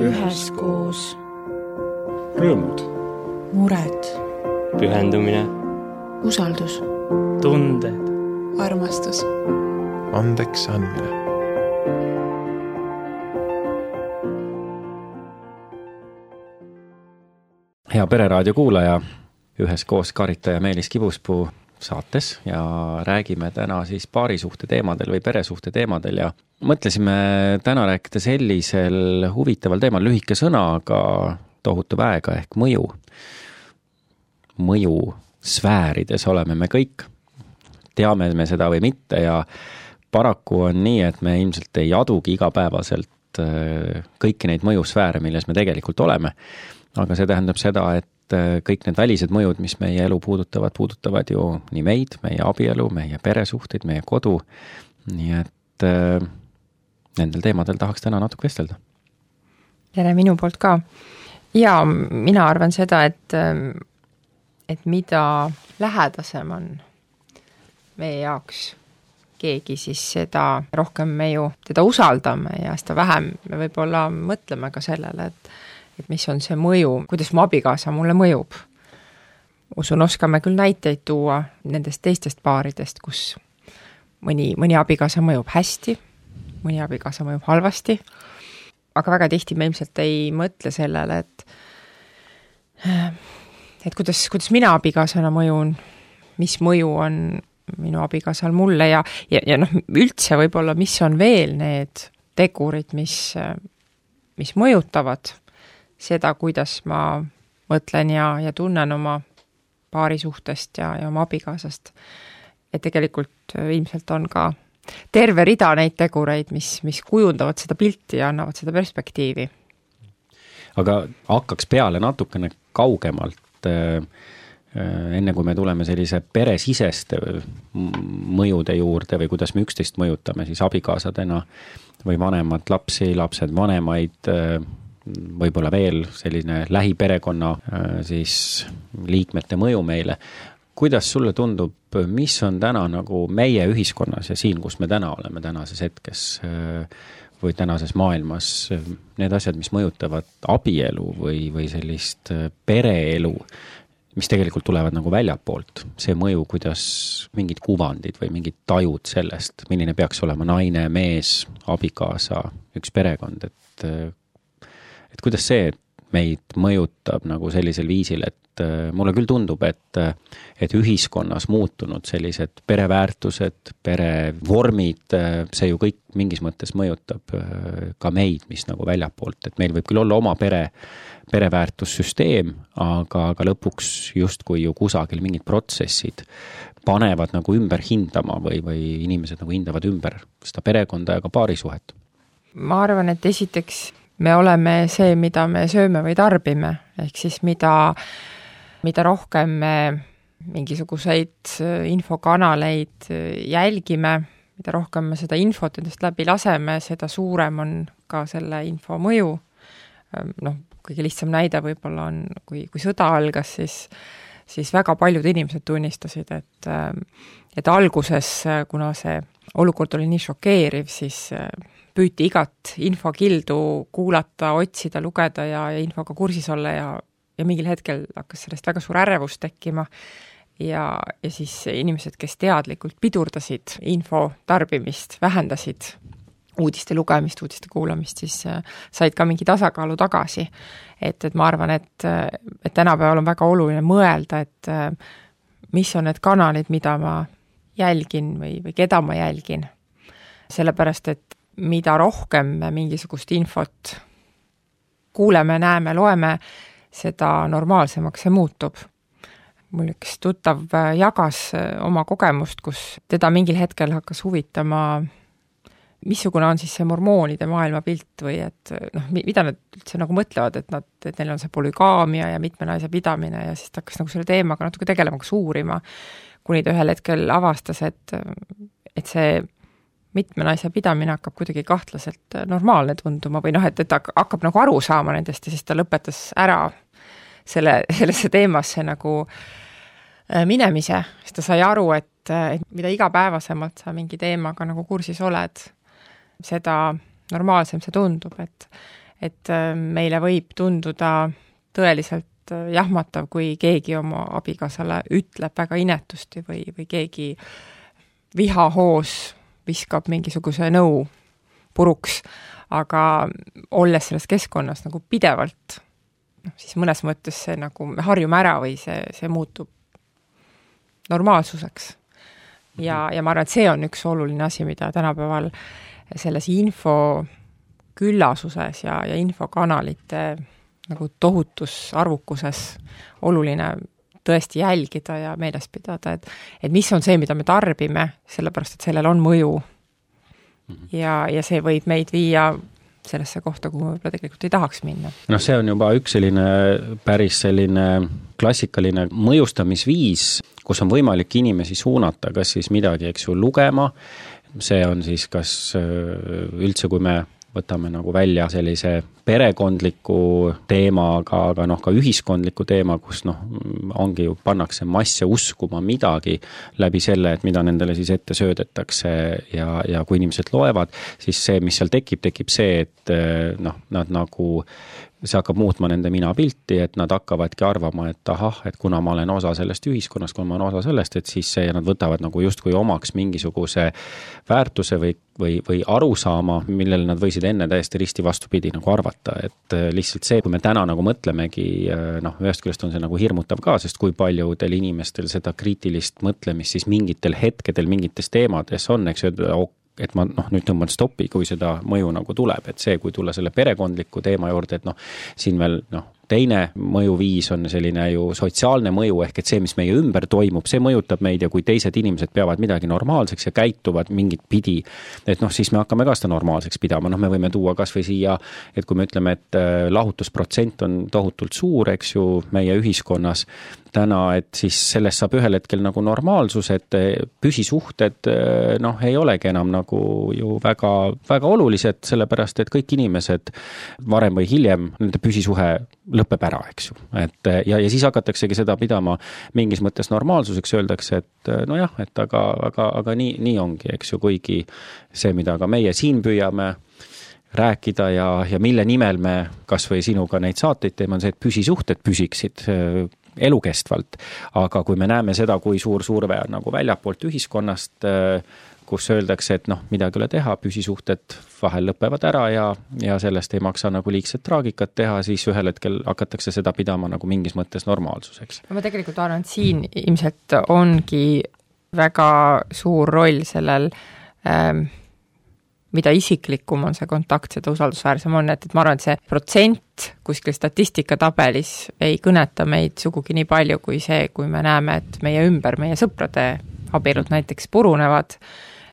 üheskoos. Rõõmud, mured, pühendumine, usaldus, tunded, armastus, andeks andmine. Hea Pereraadio kuulaja, üheskoos Karita ja Meelis Kibuspuu saates ja räägime täna siis paarisuhte teemadel või peresuhte teemadel ja mõtlesime täna rääkida sellisel huvitaval teemal, lühike sõna, aga tohutu väega ehk mõju. Mõju sfäärides oleme me kõik, teame me seda või mitte ja paraku on nii, et me ilmselt ei adugi igapäevaselt kõiki neid mõjusfääre, milles me tegelikult oleme. Aga see tähendab seda, et kõik need välised mõjud, mis meie elu puudutavad ju nii meid, meie abielu, meie peresuhteid, meie kodu. Nii et nendel teemadel tahaks täna natuke vestelda. Tere minu poolt ka. Ja mina arvan seda, et mida lähedasem on meie jaoks keegi, siis seda rohkem me ju teda usaldame ja seda vähem me võib-olla mõtleme ka sellele, et mis on see mõju, kuidas mu abikaasa mulle mõjub. Usun, oskame küll näiteid tuua nendest teistest paaridest, kus mõni abikaasa mõjub hästi, mõni abikaasa mõjub halvasti, aga väga tihti me ilmselt ei mõtle sellele, et kuidas mina abikaasana mõjun, mis mõju on minu abikaasal mulle ja üldse võib-olla, mis on veel need tegurid, mis mõjutavad seda, kuidas ma mõtlen ja tunnen oma paarisuhtest ja oma abikaasast. Et tegelikult ilmselt on ka terve rida neid tegureid, mis kujundavad seda pilti ja annavad seda perspektiivi. Aga hakkaks peale natukene kaugemalt, enne kui me tuleme sellise peresiseste mõjude juurde või kuidas me üksteist mõjutame, siis abikaasadena või vanemad lapsi, lapsed vanemaid, võib-olla veel selline lähiperekonna siis liikmete mõju meile. Kuidas sulle tundub, mis on täna nagu meie ühiskonnas ja siin, kus me täna oleme tänases hetkes või tänases maailmas, need asjad, mis mõjutavad abielu või sellist pereelu, mis tegelikult tulevad nagu väljapoolt, see mõju, kuidas mingid kuvandid või mingid tajud sellest, milline peaks olema naine, mees, abikaasa, üks perekond, et kuidas see meid mõjutab nagu sellisel viisil, et mulle küll tundub, et ühiskonnas muutunud sellised pereväärtused, perevormid, see ju kõik mingis mõttes mõjutab ka meid, mis nagu väljapoolt, et meil võib küll olla oma pereväärtussüsteem, aga lõpuks justkui ju kusagil mingid protsessid panevad nagu ümber hindama või inimesed nagu hindavad ümber seda perekonda ja ka paarisuhet. Ma arvan, et esiteks me oleme see, mida me sööme või tarbime, ehk siis mida rohkem me mingisuguseid infokanaleid jälgime, mida rohkem me seda infot endast läbi laseme, seda suurem on ka selle info mõju. Kõige lihtsam näide võib-olla on, kui sõda algas, siis väga paljud inimesed tunnistasid, et alguses, kuna see olukord oli nii šokeeriv, siis püüti igat infokildu kuulata, otsida, lugeda ja infoga kursis olla ja mingil hetkel hakkas sellest väga suur ärevus tekkima ja siis inimesed, kes teadlikult pidurdasid info tarbimist, vähendasid uudiste lugemist, uudiste kuulamist, siis said ka mingi tasakaalu tagasi. Et ma arvan, et tänapäeval on väga oluline mõelda, et mis on need kanalid, mida ma jälgin või keda ma jälgin. Sellepärast, et mida rohkem me mingisugust infot kuuleme, näeme, loeme, seda normaalsemaks see muutub. Mul üks tuttav jagas oma kogemust, kus teda mingil hetkel hakkas huvitama, missugune on siis see mormoonide maailmapilt või et mida nad üldse nagu mõtlevad, et neil on see polügaamia ja mitme naise pidamine ja siis ta hakkas nagu selle teemaga natuke tegelema, kas uurima, kuni ta ühel hetkel avastas, et see mitme naise pidamine hakkab kuidagi kahtlaselt normaalne tunduma või et ta hakkab nagu aru saama nendest ja siis ta lõpetas ära sellesse teemasse nagu minemise, siis ta sai aru, et mida igapäevasemalt sa mingi teemaga nagu kursis oled, seda normaalsem see tundub, et meile võib tunduda tõeliselt jahmatav, kui keegi oma abikaasale ütleb väga inetusti või keegi vihahoos viskab mingisuguse nõu puruks, aga olles selles keskkonnas nagu pidevalt, siis mõnes mõttes see nagu me harjume ära või see muutub normaalsuseks. Ja ma arvan, et see on üks oluline asi, mida tänapäeval selles info küllasuses ja infokanalite nagu tohutus arvukuses oluline tõesti jälgida ja meeles pidada, et mis on see, mida me tarbime, sellepärast, et sellel on mõju. Ja see võib meid viia sellesse kohta, kuhu võib-olla tegelikult ei tahaks minna. See on juba üks päris klassikaline mõjustamisviis, kus on võimalik inimesi suunata, kas siis midagi, eks ju, lugema. See on siis kas üldse, kui me võtame nagu välja sellise perekondliku teema, aga ka ühiskondliku teema, kus ongi ju pannakse masse uskuma midagi läbi selle, et mida nendele siis ette söödetakse ja kui inimesed loevad, siis see, mis seal tekib see, et nad nagu see hakkab muutma nende minapilti, et nad hakkavadki arvama, et et kuna ma olen osa sellest ühiskonnast, kui ma olen osa sellest, et siis see, nad võtavad nagu justkui omaks mingisuguse väärtuse või arusaama, millele nad võisid enne täiesti risti vastupidi nagu arvata, et lihtsalt see, kui me täna nagu mõtlemegi, ühest küljest on see nagu hirmutav ka, sest kui paljudel inimestel seda kriitilist mõtlemist siis mingitel hetkedel, mingites teemades on, eks ju, et ma nüüd tõmban stoppi, kui seda mõju nagu tuleb, et see, kui tulla selle perekondliku teema juurde, et siin veel teine mõjuviis on selline ju sotsiaalne mõju, ehk et see, mis meie ümber toimub, see mõjutab meid ja kui teised inimesed peavad midagi normaalseks ja käituvad mingit pidi, et siis me hakkame ka seda normaalseks pidama, me võime tuua kas või siia, et kui me ütleme, et lahutusprotsent on tohutult suur, eks ju, meie ühiskonnas täna, et siis sellest saab ühel hetkel nagu normaalsus, et püsisuhted ei olegi enam nagu ju väga, väga olulised, sellepärast, et kõik inimesed varem või hiljem, nende püsisuhe lõpeb ära, eks ju. Ja siis hakataksegi seda pidama mingis mõttes normaalsuseks, öeldakse, et et aga nii ongi, eks ju, kuigi see, mida ka meie siin püüame rääkida ja mille nimel me kas või sinuga neid saateid teeme, on see, et püsisuhted püsiksid elukestvalt, aga kui me näeme seda, kui suur surve on nagu väljapoolt ühiskonnast, kus öeldakse, et midagi ei ole teha, püsisuhted vahel lõpevad ära ja sellest ei maksa nagu liigset traagikat teha, siis ühel hetkel hakatakse seda pidama nagu mingis mõttes normaalsuseks. Ma tegelikult arvan, et siin ilmselt ongi väga suur roll sellel mida isiklikum on see kontakt, seda usaldusväärsem on, et ma arvan, et see protsent kuskil statistikatabelis ei kõneta meid sugugi nii palju kui see, kui me näeme, et meie ümber, meie sõprade abielud näiteks purunevad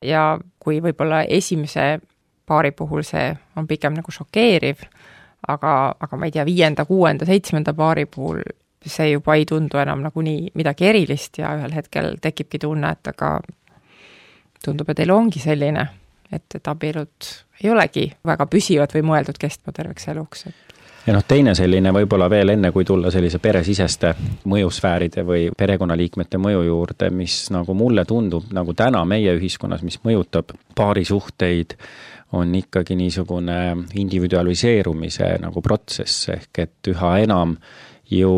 ja kui võib-olla esimese paari puhul see on pigem nagu šokeeriv, aga ma ei tea, 5., 6., 7. paari puhul see juba ei tundu enam nagu nii midagi erilist ja ühel hetkel tekibki tunne, et aga tundub, et elu ongi selline, et abielud ei olegi väga püsivad või mõeldud kestma terveks eluks. Ja teine selline võib-olla veel enne, kui tulla sellise peresiseste mõjusfääride või perekonnaliikmete mõju juurde, mis nagu mulle tundub nagu täna meie ühiskonnas, mis mõjutab paarisuhteid, on ikkagi niisugune individualiseerumise nagu protsess, ehk et üha enam ju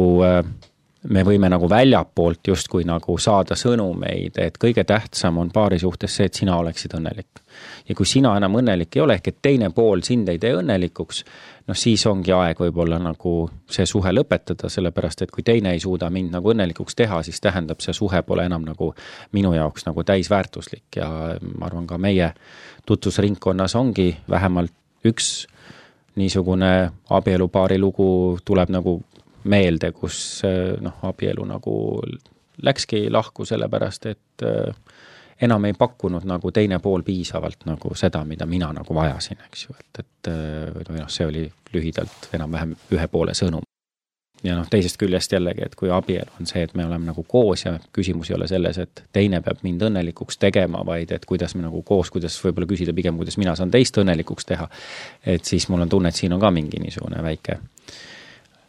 me võime nagu väljapoolt justkui nagu saada sõnumeid, et kõige tähtsam on paarisuhtes see, et sina oleksid õnnelik. Ja kui sina enam õnnelik ei ole, ehk et teine pool sind ei tee õnnelikuks, siis ongi aeg võib-olla nagu see suhe lõpetada, sellepärast et kui teine ei suuda mind nagu õnnelikuks teha, siis tähendab see suhe pole enam nagu minu jaoks nagu täisväärtuslik ja ma arvan ka meie tutvusringkonnas ongi vähemalt üks niisugune abielupaari lugu tuleb nagu meelde, kus abielu nagu läkski lahku sellepärast, et enam ei pakkunud nagu teine pool piisavalt nagu seda, mida mina nagu vajasin, eks ju, et see oli lühidalt enam-vähem ühe poole sõnum. Ja teisest küljest jällegi, et kui abielu on see, et me oleme nagu koos ja küsimus ei ole selles, et teine peab mind õnnelikuks tegema, vaid et kuidas me nagu koos, kuidas võib-olla küsida pigem, kuidas mina saan teist õnnelikuks teha, et siis mul on tunne, et siin on ka mingi niisugune väike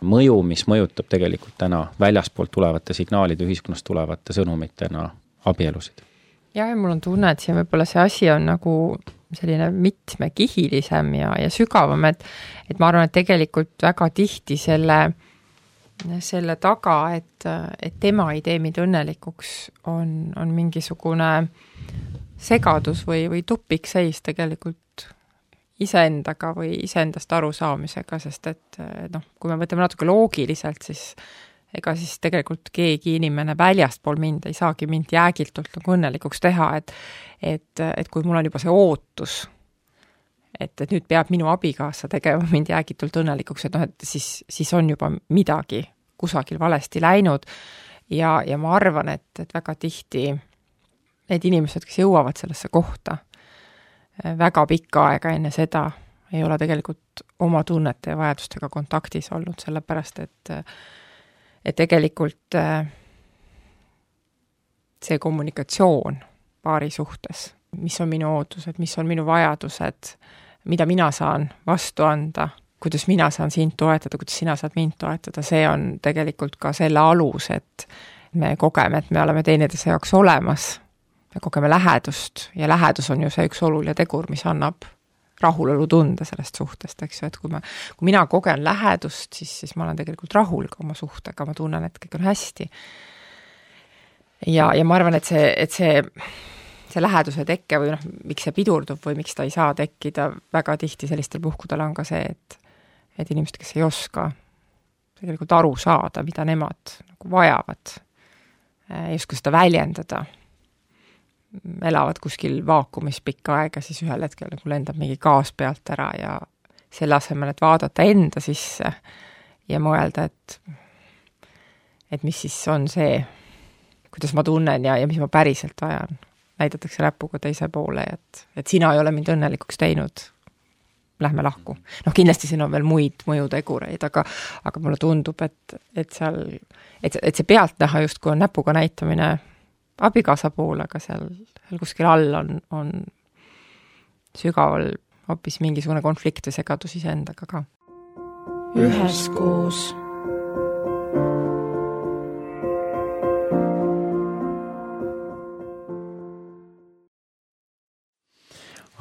mõju, mis mõjutab tegelikult täna väljaspoolt tulevate signaalide, ühiskonnast tulevate sõnumitena abielusid. ja mul on tunne, et siin võib-olla see asi on nagu selline mitmekihilisem ja sügavam, et ma arvan, et tegelikult väga tihti selle taga, et tema ei tee mind õnnelikuks, on mingisugune segadus või tupikseis tegelikult iseendaga või iseendast arusaamisega, sest et kui me võtame natuke loogiliselt, siis ega siis tegelikult keegi inimene väljastpool mind ei saagi mind jäägiltult nagu õnnelikuks teha, et kui mul on juba see ootus, et nüüd peab minu abikaasa tegema mind jäägitult õnnelikuks, et siis on juba midagi kusagil valesti läinud ja ma arvan, et väga tihti need inimesed, kes jõuavad sellesse kohta, väga pikka aega enne seda ei ole tegelikult oma tunnete ja vajadustega kontaktis olnud, sellepärast et tegelikult see kommunikatsioon paari suhtes, mis on minu ootused, mis on minu vajadused, mida mina saan vastu anda, kuidas mina saan sind toetada, kuidas sina saad mind toetada, see on tegelikult ka selle alus, et me kogeme, et me oleme teineteise jaoks olemas, me kogeme lähedust ja lähedus on ju see üks oluline tegur, mis annab rahulolu tunde sellest suhtest, eks ju, et kui mina kogen lähedust, siis ma olen tegelikult rahul ka oma suhtega, ma tunnen, et kõik on hästi. Ja ma arvan, et see läheduse tekke või miks see pidurdub või miks ta ei saa tekkida, väga tihti sellistel puhkudel on ka see, et inimesed, kes ei oska tegelikult aru saada, mida nemad nagu vajavad, ei oska seda väljendada, elavad kuskil vaakumis pikka aega, siis ühel hetkel nagu lendab mingi gaas pealt ära ja selle asemel, et vaadata enda sisse ja mõelda, et mis siis on see, kuidas ma tunnen ja mis ma päriselt vajan. Näidatakse näpuga teise poole, et sina ei ole mind õnnelikuks teinud, lähme lahku. Kindlasti siin on veel muid mõjutegureid, aga mulle tundub, et see pealt näha just kui on näpuga näitamine abikaasa poole, aga seal kuskil all on sügaval hoopis mingisugune konflikt või segadus iseendaga ka. Üheskoos.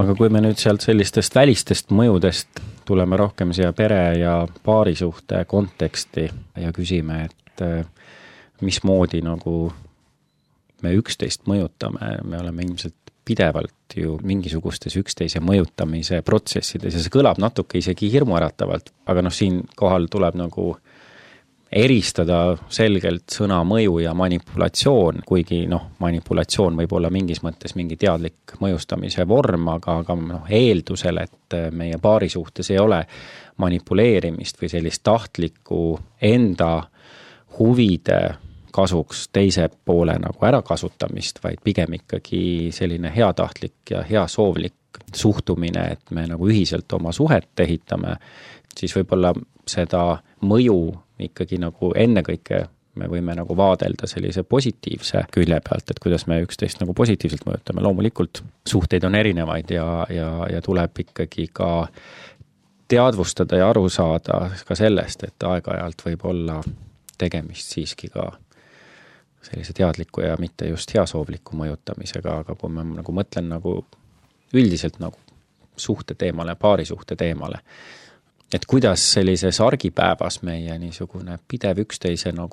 Aga kui me nüüd sealt sellistest välistest mõjudest tuleme rohkem siia pere ja paarisuhte konteksti ja küsime, et mismoodi nagu me üksteist mõjutame, me oleme ilmselt pidevalt ju mingisugustes üksteise mõjutamise protsessides ja see kõlab natuke isegi hirmuäratavalt, aga siin kohal tuleb nagu eristada selgelt sõna mõju ja manipulatsioon, kuigi manipulatsioon võib olla mingis mõttes mingi teadlik mõjustamise vorm, aga eeldusel, et meie paari suhtes ei ole manipuleerimist või sellist tahtlikku enda huvide kasuks teise poole nagu ärakasutamist, vaid pigem ikkagi selline heatahtlik ja heasoovlik suhtumine, et me nagu ühiselt oma suhet ehitame, siis võib-olla seda mõju ikkagi nagu ennekõike me võime nagu vaadelda sellise positiivse külje pealt, et kuidas me üksteist nagu positiivselt mõjutame. Loomulikult suhteid on erinevaid ja tuleb ikkagi ka teadvustada ja aru saada ka sellest, et aeg-ajalt võib olla tegemist siiski ka sellise teadliku ja mitte just heasoovliku mõjutamisega, aga kui ma nagu mõtlen nagu üldiselt nagu suhte teemale, paari suhte teemale, et kuidas sellises argipäevas meie niisugune pidev üksteisele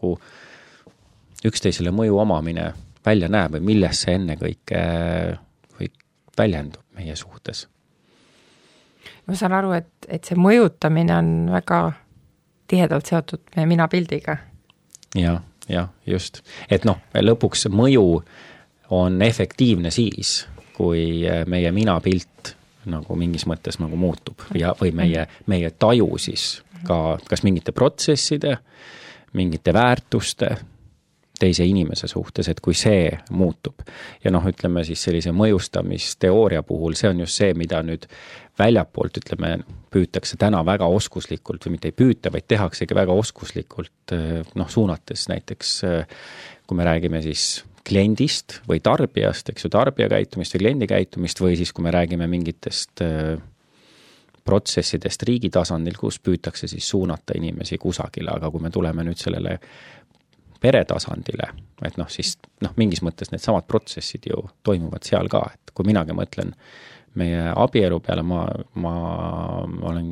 mõju omamine välja näeb või milles see ennekõike või väljendub meie suhtes? Ma saan aru, et see mõjutamine on väga tihedalt seotud meie minapildiga. Ja just. Et lõpuks mõju on efektiivne siis, kui meie minapilt nagu mingis mõttes nagu muutub või meie taju siis ka kas mingite protsesside, mingite väärtuste teise inimese suhtes, et kui see muutub. Ja ütleme siis sellise mõjustamisteooria puhul, see on just see, mida nüüd väljapoolt, püütakse täna väga oskuslikult või mitte ei püüta, vaid tehaksegi väga oskuslikult suunates näiteks, kui me räägime siis kliendist või tarbijast, eks ju, tarbija käitumist või kliendi käitumist või siis, kui me räägime mingitest protsessidest riigi tasandil, kus püütakse siis suunata inimesi kusagile, aga kui me tuleme nüüd sellele peretasandile, et noh, siis noh, mingis mõttes need samad protsessid ju toimuvad seal ka, et kui minagi mõtlen meie abielu peale, ma olen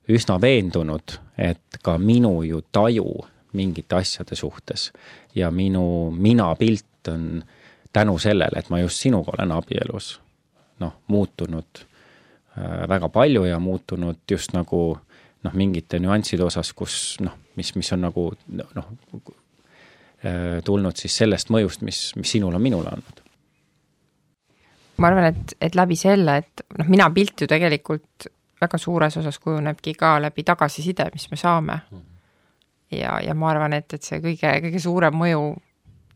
üsna veendunud, et ka minu ju taju mingite asjade suhtes ja minu minapilt on tänu sellele, et ma just sinuga olen abielus, noh, muutunud väga palju ja muutunud just nagu noh, mingite nüansside osas, kus noh, mis on nagu noh, tulnud siis sellest mõjust, mis sinul on minule andnud. Ma arvan, et läbi selle, et noh, mina pilt ju tegelikult väga suures osas kujunebki ka läbi tagasiside, mis me saame. Ja ma arvan, et see kõige suurem mõju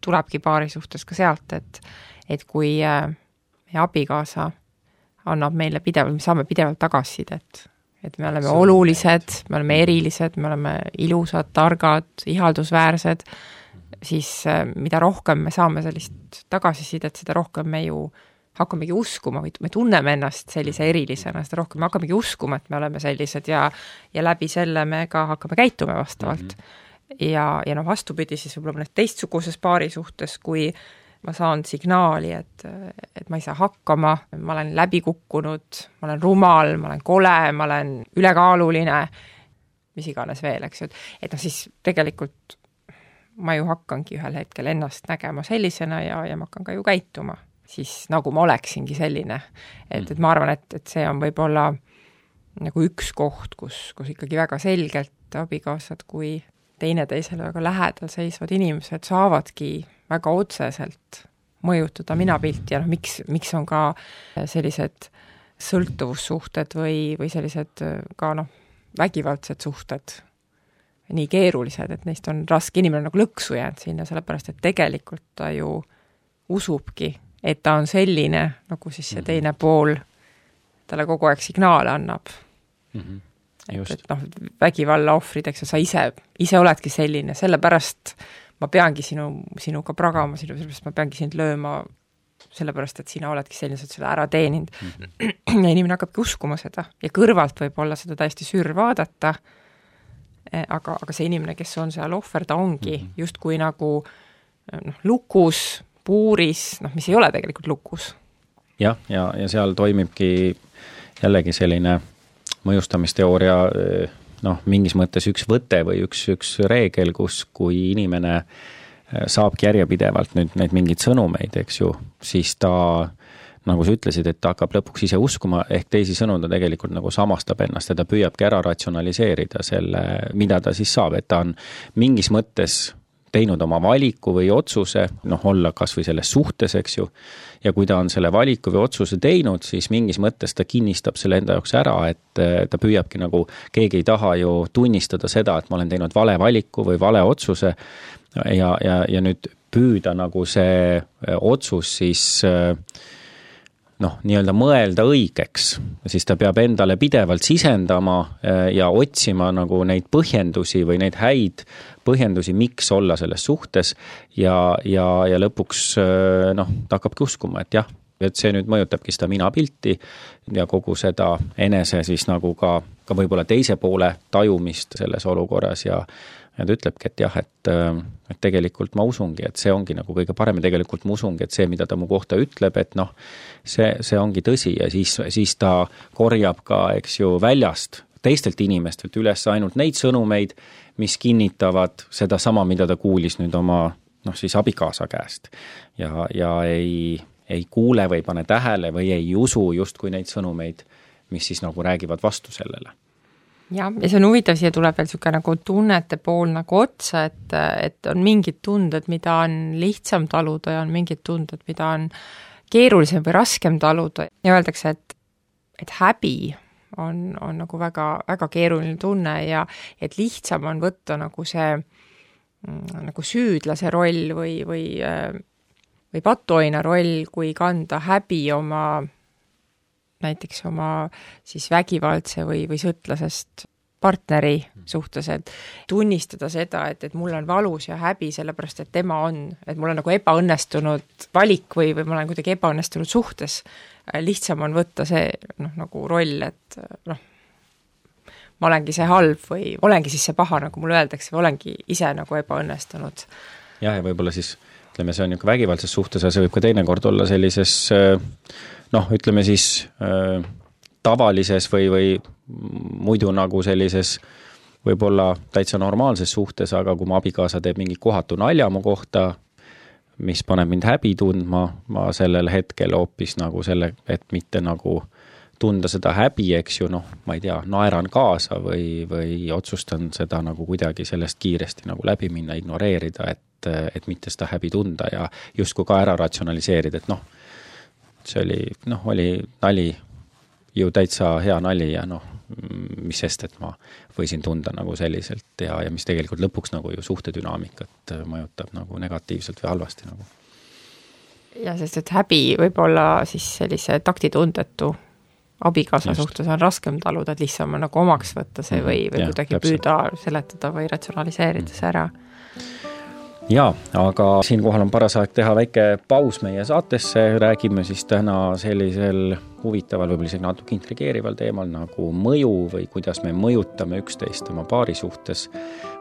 tulebki paari suhtes ka sealt, et kui meie abikaasa annab meile pidevalt, me saame pidevalt tagasisidet, et me oleme olulised, me oleme erilised, me oleme ilusad, targad, ihaldusväärsed, siis mida rohkem me saame sellist tagasisidet, seda rohkem me ju hakkamegi uskuma või me tunneme ennast sellise erilisena, seda rohkem me hakkamegi uskuma, et me oleme sellised ja läbi selle me ka hakkame käituma vastavalt. Ja noh, vastupidi siis võib-olla mõnes teistsuguses paari suhtes, kui ma saan signaali, et ma ei saa hakkama, ma olen läbi kukkunud, ma olen rumal, ma olen kole, ma olen ülekaaluline, mis iganes veel, eks ju. Et noh, siis tegelikult ma ju hakkangi ühel hetkel ennast nägema sellisena ja ma hakkan ka ju käituma. Siis nagu ma oleksingi selline. Et ma arvan, et see on võib-olla nagu üks koht, kus ikkagi väga selgelt abikaasad kui teineteisele väga lähedal seisvad inimesed saavadki väga otseselt mõjutada minapilti ja noh, miks on ka sellised sõltuvussuhted või sellised ka noh, vägivaldsed suhted nii keerulised, et neist on raske, inimene nagu lõksu jäänud sinna, sellepärast, et tegelikult ta ju usubki, et ta on selline, nagu siis see teine pool talle kogu aeg signaale annab. Et noh, vägivalla ohvrid, eks sa ise oledki selline, sellepärast ma peangi sinuga pragama, sellepärast ma peangi sind lööma, sellepärast, et sina oledki selline, sa oled selle ära teeninud. Ja inimene hakkabki uskuma seda ja kõrvalt võib olla seda täiesti sür vaadata, aga see inimene, kes on seal ohver, ta ongi justkui nagu noh, lukus, puuris, noh, mis ei ole tegelikult lukus. Ja seal toimibki jällegi selline mõjustamisteooria noh, mingis mõttes üks võte või üks reegel, kus kui inimene saabki järjepidevalt nüüd neid mingeid sõnumeid, eks ju, siis ta, nagu sa ütlesid, et ta hakkab lõpuks ise uskuma, ehk teisi sõnu ta tegelikult nagu samastab ennast ja ta püüabki ära ratsionaliseerida selle, mida ta siis saab, et ta on mingis mõttes teinud oma valiku või otsuse, noh, olla kas või selles suhtes, eks ju, ja kui ta on selle valiku või otsuse teinud, siis mingis mõttes ta kinnistab selle enda jaoks ära, et ta püüabki nagu, keegi ei taha ju tunnistada seda, et ma olen teinud vale valiku või vale otsuse ja nüüd püüda nagu see otsus siis noh, nii-öelda mõelda õigeks, siis ta peab endale pidevalt sisendama ja otsima nagu neid põhjendusi või neid häid põhjendusi, miks olla selles suhtes ja lõpuks noh, ta hakkabki uskuma, et jah, et see nüüd mõjutabki seda minapilti ja kogu seda enese siis nagu ka võib-olla teise poole tajumist selles olukorras ja ta ütlebki, et jah, et tegelikult ma usungi, et see ongi nagu kõige parem ja tegelikult ma usungi, et see, mida ta mu kohta ütleb, et noh, see ongi tõsi ja siis ta korjab ka, eks ju, väljast teistelt inimestelt üles ainult neid sõnumeid, mis kinnitavad seda sama, mida ta kuulis nüüd oma noh, siis abikaasa käest ja ei kuule või pane tähele või ei usu justkui neid sõnumeid, mis siis nagu räägivad vastu sellele. Ja see on huvitav, siia tuleb veel niisugune nagu tunnete pool nagu otsa, et on mingid tunded, mida on lihtsam taluda ja on mingid tunded, mida on keerulisem või raskem taluda ja öeldakse, et häbi on nagu väga, väga keeruline tunne ja et lihtsam on võtta nagu see nagu süüdlase roll või patuoina roll, kui kanda häbi näiteks oma siis vägivaldse või sõtlasest partneri suhtes, et tunnistada seda, et mul on valus ja häbi sellepärast, et tema on, et mul on nagu ebaõnnestunud valik või ma olen kuidagi ebaõnnestunud suhtes. Lihtsam on võtta see noh, nagu roll, et noh, ma olengi see halb või olengi siis see paha, nagu mulle öeldakse, või olengi ise nagu ebaõnnestunud. jah, ja võib-olla siis ütleme, see on niisugune vägivaldses suhtes, aga see võib ka teinekord olla sellises ütleme siis tavalises või muidu nagu sellises võib-olla täitsa normaalses suhtes, aga kui mu abikaasa teeb mingi kohatu nalja mu kohta, mis paneb mind häbi tundma, ma sellel hetkel hoopis nagu selle, et mitte nagu tunda seda häbi, eks ju, ma ei tea, naeran kaasa või otsustan seda nagu kuidagi sellest kiiresti nagu läbi minna, ignoreerida, et mitte seda häbi tunda ja justkui ka ära ratsionaliseerida, et see oli nali, ju täitsa hea nali ja mis sest, et ma võisin tunda nagu selliselt ja mis tegelikult lõpuks nagu ju suhtedünaamikat mõjutab nagu negatiivselt või halvasti nagu. Ja sest, et häbi võib olla siis sellise taktitundetu abikaasa suhtes on raskem taluda, et lihtsam on nagu omaks võtta see või kuidagi püüda seletada või ratsionaliseerida see ära. Jaa, aga siinkohal on paras aeg teha väike paus meie saatesse, räägime siis täna sellisel huvitaval, võib-olla isegi natuke intrigeerival teemal nagu mõju või kuidas me mõjutame üksteist oma paari suhtes,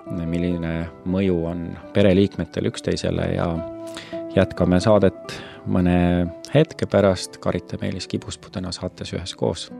milline mõju on pereliikmetel üksteisele ja jätkame saadet mõne hetke pärast. Karita Meelis Kibuspuu täna saates üheskoos.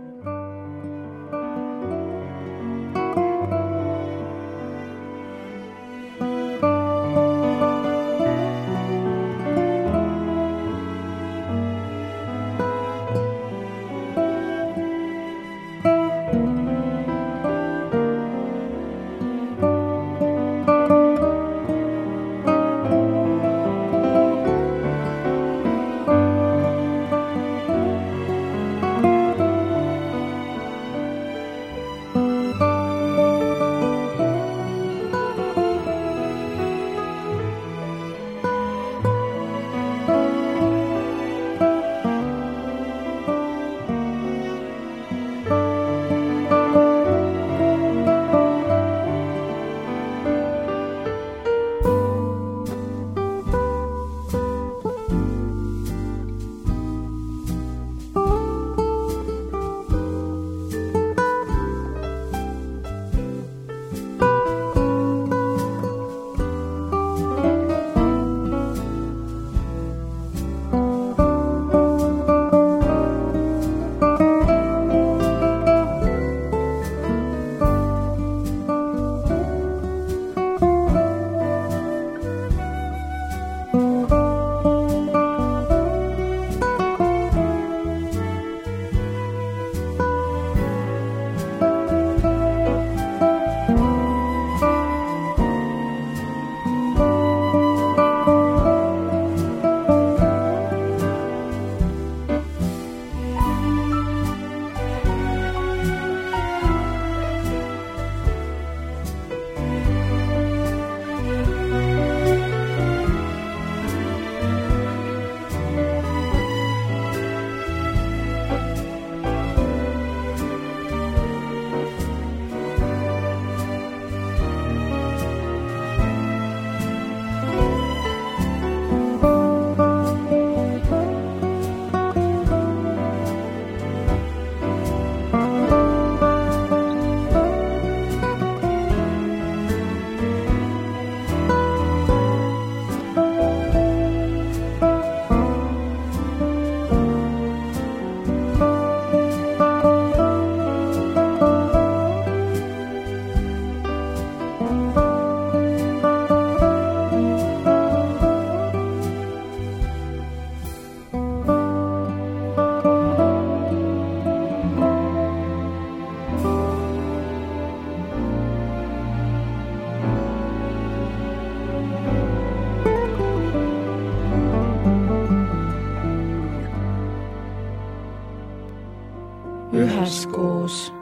üheskoos.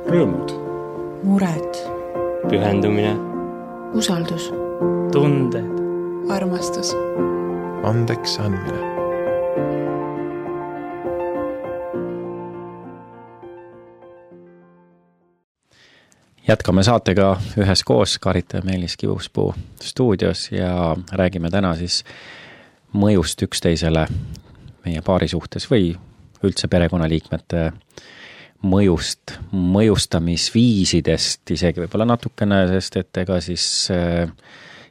Rõõmud. Mured. Pühendumine. Usaldus. Tunded. Armastus. Andeks andmine. Jätkame saatega üheskoos, Karita Meelis Kibuspuu stuudios ja räägime täna siis mõjust üksteisele meie paari suhtes või üldse perekonnaliikmete mõjust, mõjustamisviisidest isegi võib-olla natukene, sest et ega siis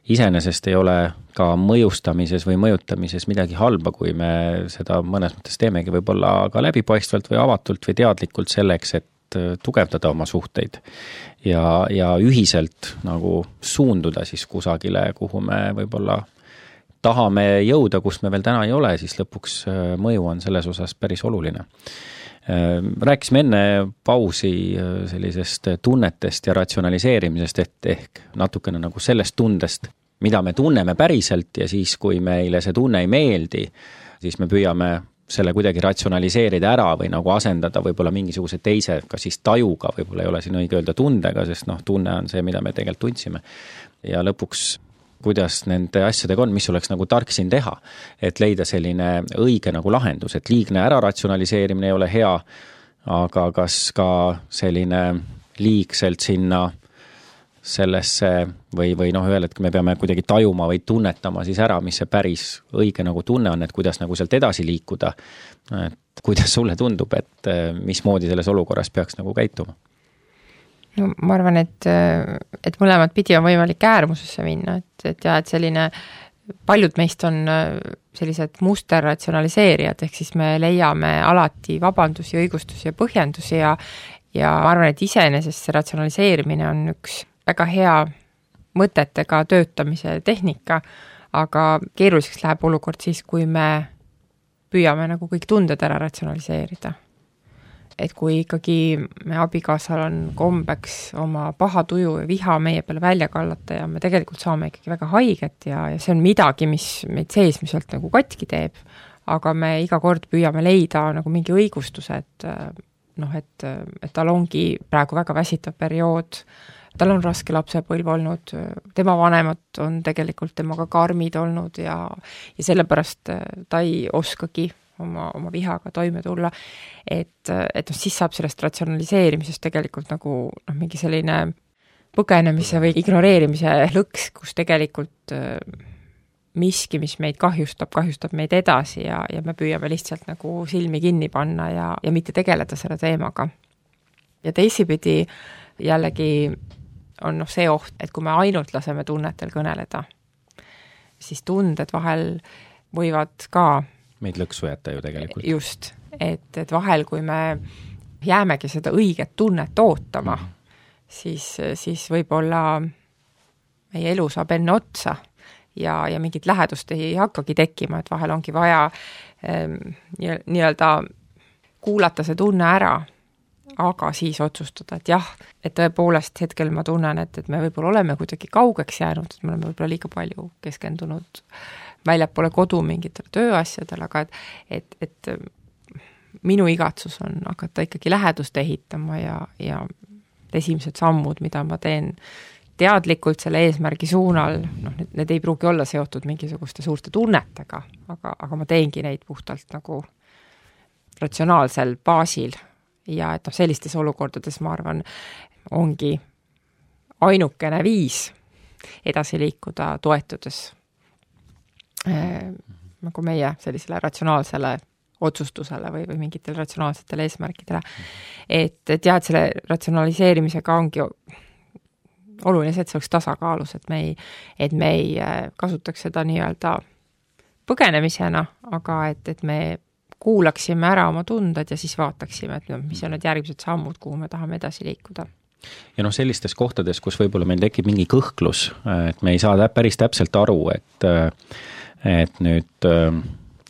iseenesest ei ole ka mõjustamises või mõjutamises midagi halba, kui me seda mõnes mõttes teemegi võib-olla ka läbipaistvalt või avatult või teadlikult selleks, et tugevdada oma suhteid ja ühiselt nagu suunduda siis kusagile, kuhu me võib-olla tahame jõuda, kus me veel täna ei ole, siis lõpuks mõju on selles osas päris oluline. Rääkisime enne pausi sellisest tunnetest ja ratsionaliseerimisest, et ehk natukene nagu sellest tundest, mida me tunneme päriselt ja siis, kui meile see tunne ei meeldi, siis me püüame selle kuidagi ratsionaliseerida ära või nagu asendada võib-olla mingisuguse teise, ka siis tajuga, võib-olla ei ole siin õige öelda tundega, sest tunne on see, mida me tegelikult tundsime. Ja lõpuks kuidas nende asjadega on, mis oleks nagu tark siin teha, et leida selline õige nagu lahendus, et liigne ära ratsionaliseerimine ei ole hea, aga kas ka selline liigselt sinna sellesse või öelda, et me peame kuidagi tajuma või tunnetama siis ära, mis see päris õige nagu tunne on, et kuidas nagu sealt edasi liikuda, et kuidas sulle tundub, et mismoodi selles olukorras peaks nagu käituma? No, ma arvan, et mõlemad pidi on võimalik äärmusesse minna, et selline, paljud meist on sellised musterratsionaliseerijad, ehk siis me leiame alati vabandusi, õigustusi ja põhjendusi ja ma arvan, et iseenesest see ratsionaliseerimine on üks väga hea mõtetega töötamise tehnika, aga keeruliseks läheb olukord siis, kui me püüame nagu kõik tunded ära ratsionaliseerida. Et kui ikkagi me abikaasal on kombeks oma paha tuju ja viha meie peale välja kallata ja me tegelikult saame ikkagi väga haiget ja see on midagi, mis meid seesmiselt nagu katki teeb, aga me iga kord püüame leida nagu mingi õigustuse, et tal ongi praegu väga väsitav periood, tal on raske lapsepõlv olnud, tema vanemad on tegelikult temaga karmid olnud ja sellepärast ta ei oskagi oma vihaga toime tulla, et siis saab sellest ratsionaliseerimisest tegelikult nagu mingi selline põgenemise või ignoreerimise lõks, kus tegelikult miski, mis meid kahjustab meid edasi ja me püüame lihtsalt nagu silmi kinni panna ja mitte tegeleda selle teemaga. Ja teisipidi jällegi on see oht, et kui me ainult laseme tunnetel kõneleda, siis tunded vahel võivad ka meid lõksu jätta ju tegelikult. Just, et vahel, kui me jäämegi seda õiget tunnet ootama, siis võib-olla meie elu saab enne otsa ja mingit lähedust ei hakkagi tekkima, et vahel ongi vaja nii-öelda kuulata see tunne ära, aga siis otsustada, et jah, et tõepoolest hetkel ma tunnen, et me võib-olla oleme kuidagi kaugeks jäänud, et me oleme võib-olla liiga palju keskendunud väljapoole kodu mingitele tööasjadele, aga et minu igatsus on hakata ikkagi lähedust ehitama ja esimesed sammud, mida ma teen teadlikult selle eesmärgi suunal, need ei pruugi olla seotud mingisuguste suurte tunnetega, aga ma teengi neid puhtalt nagu ratsionaalsel baasil ja et sellistes olukordades ma arvan, ongi ainukene viis edasi liikuda toetudes nagu meie sellisele ratsionaalsele otsustusele või mingitele ratsionaalsetele eesmärkidele. Et selle ratsionaliseerimisega ongi oluline see, et see oleks tasakaalus, et me ei kasutaks seda nii-öelda põgenemisena, aga et me kuulaksime ära oma tunded ja siis vaataksime, et mis on need järgmised sammud, kuhu me tahame edasi liikuda. Ja sellistes kohtades, kus võib-olla meil tekib mingi kõhklus, et me ei saa päris täpselt aru, et nüüd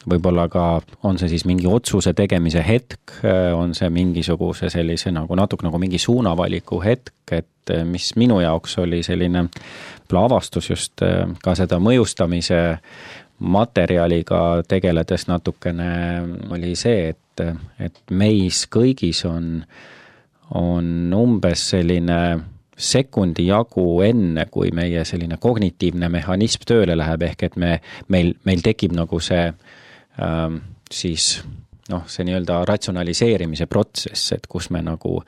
võib-olla ka on see siis mingi otsuse tegemise hetk, on see mingisuguse sellise natuke nagu mingi suunavaliku hetk, et mis minu jaoks oli selline avastus just ka seda mõjustamise materjaliga tegeledes natukene oli see, et meis kõigis on umbes selline sekundi jagu enne, kui meie selline kognitiivne mehhanism tööle läheb, ehk et meil tekib nagu see siis see nii-öelda ratsionaliseerimise protsess, et kus me nagu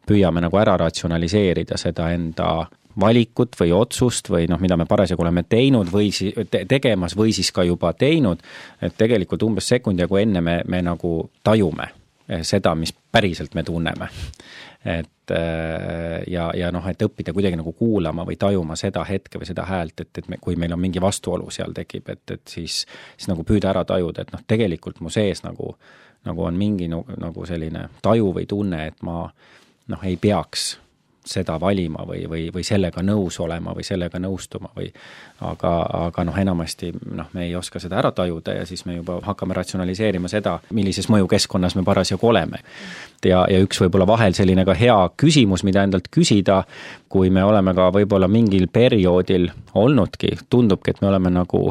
püüame nagu ära ratsionaliseerida seda enda valikut või otsust või mida me parasjagu oleme teinud või tegemas või siis ka juba teinud, et tegelikult umbes sekundi jagu enne me nagu tajume seda, mis päriselt me tunneme. et ja noh, et õppida kuidagi nagu kuulama või tajuma seda hetke või seda häält, et kui meil on mingi vastuolu seal tekib, et siis nagu püüda ära tajuda, et noh, tegelikult mu sees nagu on mingi nagu selline taju või tunne, et ma noh, ei peaks seda valima või sellega nõus olema või sellega nõustuma või aga noh, enamasti noh, me ei oska seda ära tajuda ja siis me juba hakkame ratsionaliseerima seda, millises mõjukeskkonnas me parasjagu oleme. Ja üks võib-olla vahel selline ka hea küsimus, mida endalt küsida, kui me oleme ka võib-olla mingil perioodil olnudki, tundubki, et me oleme nagu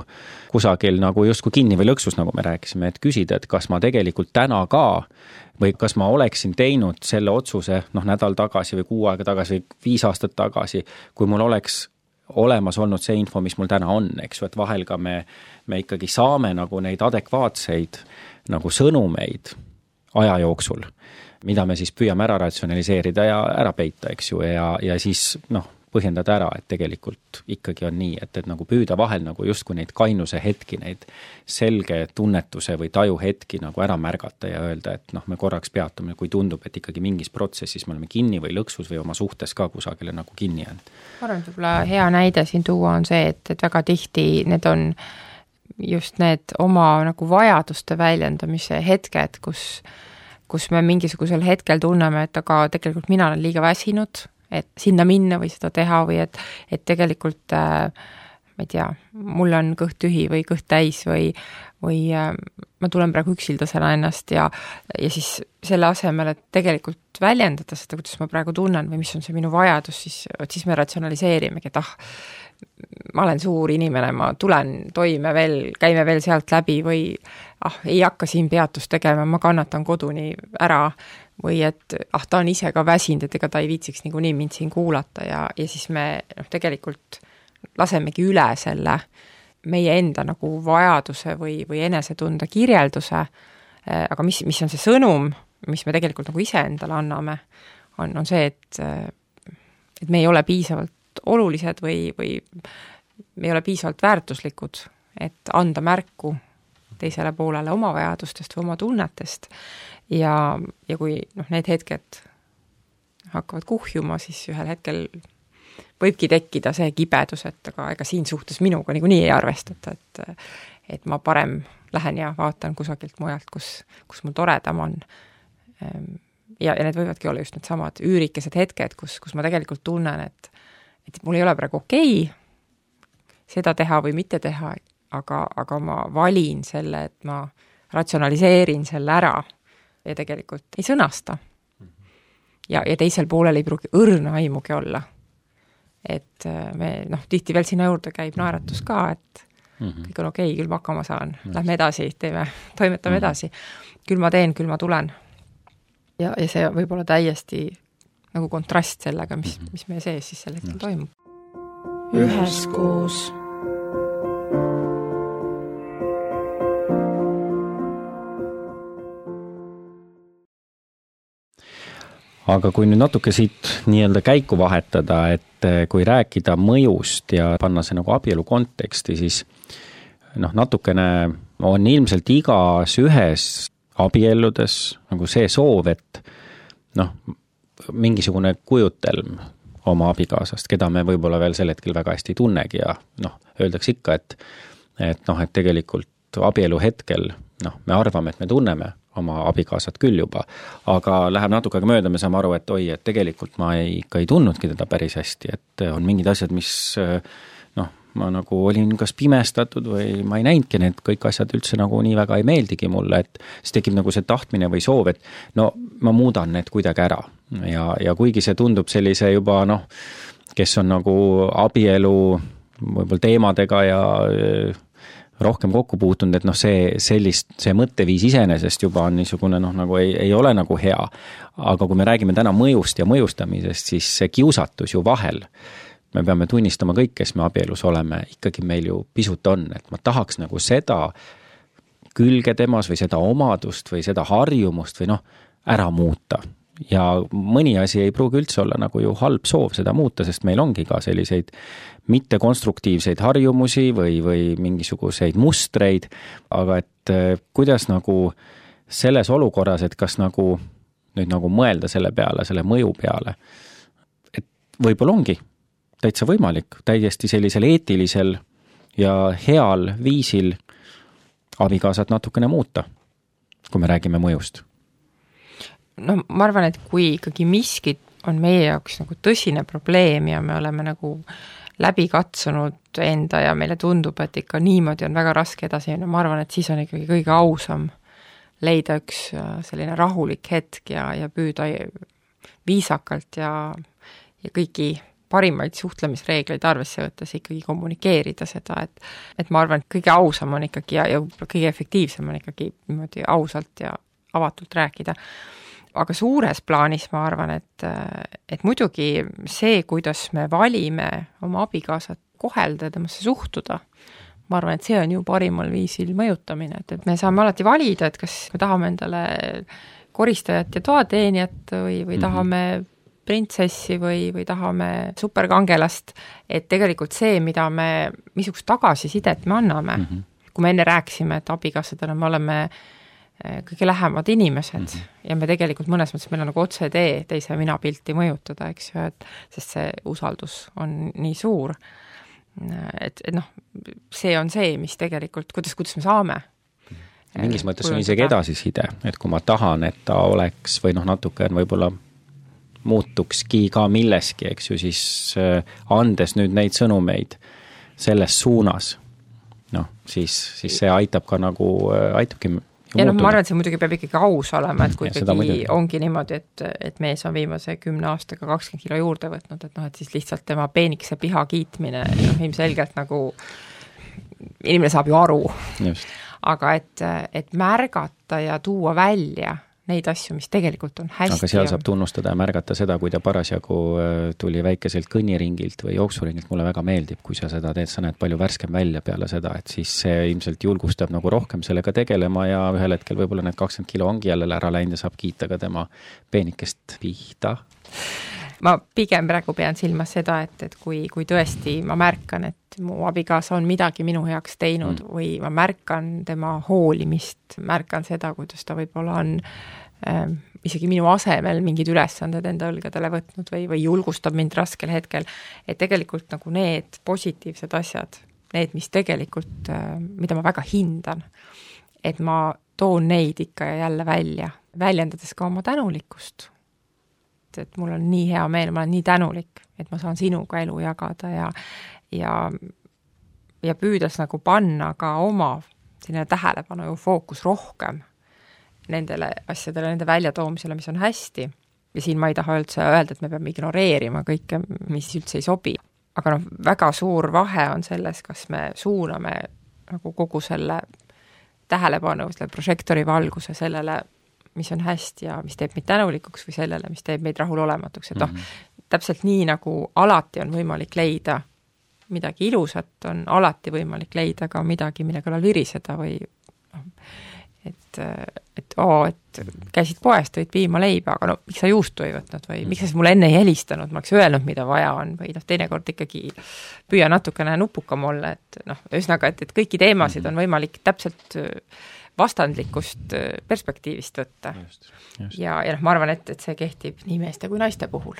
kusagil nagu justkui kinni või lõksus, nagu me rääkisime, et küsida, et kas ma tegelikult täna ka või kas ma oleksin teinud selle otsuse noh, nädal tagasi või 6 aega tagasi või 5 aastat tagasi, kui mul oleks olemas olnud see info, mis mul täna on, eks ju, et vahel ka me ikkagi saame nagu neid adekvaatseid nagu sõnumeid aja jooksul, mida me siis püüame ära ratsionaliseerida ja ära peita, eks ju, ja siis noh, põhjendada ära, et tegelikult ikkagi on nii, et nagu püüda vahel nagu justkui neid kainuse hetki, neid selge tunnetuse või taju hetki nagu ära märgata ja öelda, et noh, me korraks peatume, kui tundub, et ikkagi mingis protsessis me oleme kinni või lõksus või oma suhtes ka kusagile nagu kinni jäänud. Ma arvan, et võib-olla hea näide siin tuua on see, et väga tihti need on just need oma nagu vajaduste väljendamise hetked, kus me mingisugusel hetkel tunneme, et aga tegelikult mina olen liiga väsinud, et sinna minna või seda teha või et tegelikult ma ei tea, mul on kõht tühi või kõht täis või ma tulen praegu üksildasena ennast ja siis selle asemel, et tegelikult väljendada seda, kuidas ma praegu tunnen või mis on see minu vajadus, siis me ratsionaliseerimegi, et ma olen suur inimene, ma tulen toime veel, käime veel sealt läbi või ei hakka siin peatust tegema, ma kannatan koduni ära või et ta on ise ka väsinud, et ega ta ei viitsiks niikuinii mind siin kuulata ja siis me tegelikult lasemegi üle selle meie enda nagu vajaduse või enesetunda kirjelduse, aga mis on see sõnum, mis me tegelikult nagu ise endale anname, on see, et me ei ole piisavalt olulised või me ei ole piisavalt väärtuslikud, et anda märku teisele poolele oma vajadustest või oma tunnetest ja kui need hetked hakkavad kuhjuma, siis ühel hetkel võibki tekkida see kibedus, et aga ega siin suhtes minuga niikuinii ei arvestata, et ma parem lähen ja vaatan kusagilt mujalt, kus mul toredam on. Ja need võivadki olla just need samad üürikesed hetked, kus ma tegelikult tunnen, et mul ei ole praegu okei seda teha või mitte teha, aga ma valin selle, et ma ratsionaliseerin selle ära ja tegelikult ei sõnasta. Ja teisel poolel ei pruugi õrna aimugi olla. Et me, tihti veel sinna juurde käib naeratus ka, et kõik on okei, küll ma hakkama saan, lähme edasi, toimetame edasi. Küll ma teen, küll ma tulen. Ja see võib olla täiesti nagu kontrast sellega, mis meie sees siis sel hetkel toimub. Üheskoos. Aga kui nüüd natuke siit nii-öelda käiku vahetada, et kui rääkida mõjust ja panna see nagu abielu konteksti, siis natukene on ilmselt igas ühes abielludes nagu see soov, et mingisugune kujutelm oma abikaasast, keda me võib-olla veel sel hetkel väga hästi ei tunnegi ja öeldakse ikka, et tegelikult abielu hetkel me arvame, et me tunneme oma abikaasat küll juba, aga läheb natuke aega mööda, me saame aru, et et tegelikult ma ikka ei tundnudki teda päris hästi, et on mingid asjad, mis ma nagu olin kas pimestatud või ma ei näinudki need kõik asjad üldse nagu nii väga ei meeldigi mulle, et siis tekib nagu see tahtmine või soov, et ma muudan need kuidagi ära ja kuigi see tundub sellise juba kes on nagu abielu võib-olla teemadega ja rohkem kokku puutunud, et see mõtteviis iseenesest juba on niisugune nagu ei ole nagu hea. Aga kui me räägime täna mõjust ja mõjustamisest, siis see kiusatus ju vahel, me peame tunnistama kõik, kes me abielus oleme, ikkagi meil ju pisut on, et ma tahaks nagu seda külge temas või seda omadust või seda harjumust või ära muuta. Ja mõni asi ei pruugi üldse olla nagu ju halb soov seda muuta, sest meil ongi ka selliseid mittekonstruktiivseid harjumusi või mingisuguseid mustreid, aga et kuidas nagu selles olukorras, et kas nagu nüüd nagu mõelda selle peale, selle mõju peale, et võib-olla ongi täitsa võimalik täiesti sellisel eetilisel ja heal viisil abikaasat natukene muuta, kui me räägime mõjust. No ma arvan, et kui ikkagi miskit on meie jaoks nagu tõsine probleem ja me oleme nagu läbi katsunud enda ja meile tundub, et ikka niimoodi on väga raske edasi, ma arvan, et siis on ikkagi kõige ausam leida üks selline rahulik hetk ja püüda viisakalt ja kõiki parimaid suhtlemisreegleid arvesse võttes ikkagi kommunikeerida seda, et ma arvan, et kõige ausam on ikkagi ja kõige efektiivsem on ikkagi niimoodi ausalt ja avatult rääkida. Aga suures plaanis ma arvan, et muidugi see, kuidas me valime oma abikaasat kohelda ja temasse suhtuda, ma arvan, et see on ju parimal viisil mõjutamine, et me saame alati valida, et kas me tahame endale koristajat ja toateenijat või tahame printsessi või tahame superkangelast, et tegelikult see, missugust tagasisidet me anname, kui me enne rääkisime, et abikaasadena me oleme kõige lähemad inimesed ja me tegelikult mõnes mõttes meil on nagu otsetee teise minapilti mõjutada, eks ju, sest see usaldus on nii suur, et noh, see on see, mis tegelikult, kuidas me saame. Mingis mõttes on isegi edasiside, et kui ma tahan, et ta oleks või natuke on võib-olla muutukski ka milleski, eks ju, siis andes nüüd neid sõnumeid selles suunas, siis see aitab ka nagu, aitabki ja ma arvan, et see muidugi peab ikkagi aus olema, et kui ikkagi ongi niimoodi, et mees on viimase 10 aastaga 20 kilo juurde võtnud, et siis lihtsalt tema peenikese piha kiitmine, ilmselgelt nagu inimene saab ju aru. Just. Aga et märgata ja tuua välja neid asju, mis tegelikult on hästi. Aga seal saab tunnustada ja märgata seda, kui ta parasjagu tuli väikeselt kõnniringilt või jooksuringilt, mulle väga meeldib, kui sa seda teed, sa näed palju värskem välja peale seda, et siis see ilmselt julgustab nagu rohkem sellega tegelema ja ühel hetkel võib-olla need 20 kilo ongi jälle ära läinud ja saab kiita ka tema peenikest pihta. Ma pigem praegu pean silmas seda, et kui tõesti ma märkan, et mu abikaasa on midagi minu heaks teinud või ma märkan tema hoolimist, märkan seda, kuidas ta võib-olla on isegi minu asemel mingid ülesanded enda õlgadele võtnud või julgustab mind raskel hetkel, et tegelikult nagu need positiivsed asjad, need, mis tegelikult, mida ma väga hindan, et ma toon neid ikka ja jälle välja, väljendades ka oma tänulikkust. Et mul on nii hea meel, ma olen nii tänulik, et ma saan sinuga elu jagada ja püüdes nagu panna ka oma selline tähelepanu ja fookus rohkem nendele asjadele, nende väljatoomisele, mis on hästi. Ja siin ma ei taha üldse öelda, et me peame ignoreerima kõike, mis üldse ei sobi. Aga väga suur vahe on selles, kas me suuname nagu kogu selle tähelepanu, selle prožektori valguse sellele, mis on hästi ja mis teeb meid tänulikuks või sellele, mis teeb meid rahulolematuks. Et täpselt nii nagu alati on võimalik leida midagi ilusat, on alati võimalik leida ka midagi, mille kõrval viriseda või et käisid poest, tõid piima leiba, aga miks sa juustu ei võtnud või miks sa mulle enne ei helistanud, ma oleks öelnud, mida vaja on või teinekord ikkagi püüa natukene nupukam olla, et ühesõnaga, et kõiki teemasid on võimalik täpselt vastandlikust perspektiivist võtta. Just. Ja ma arvan, et see kehtib nii meeste kui naiste puhul.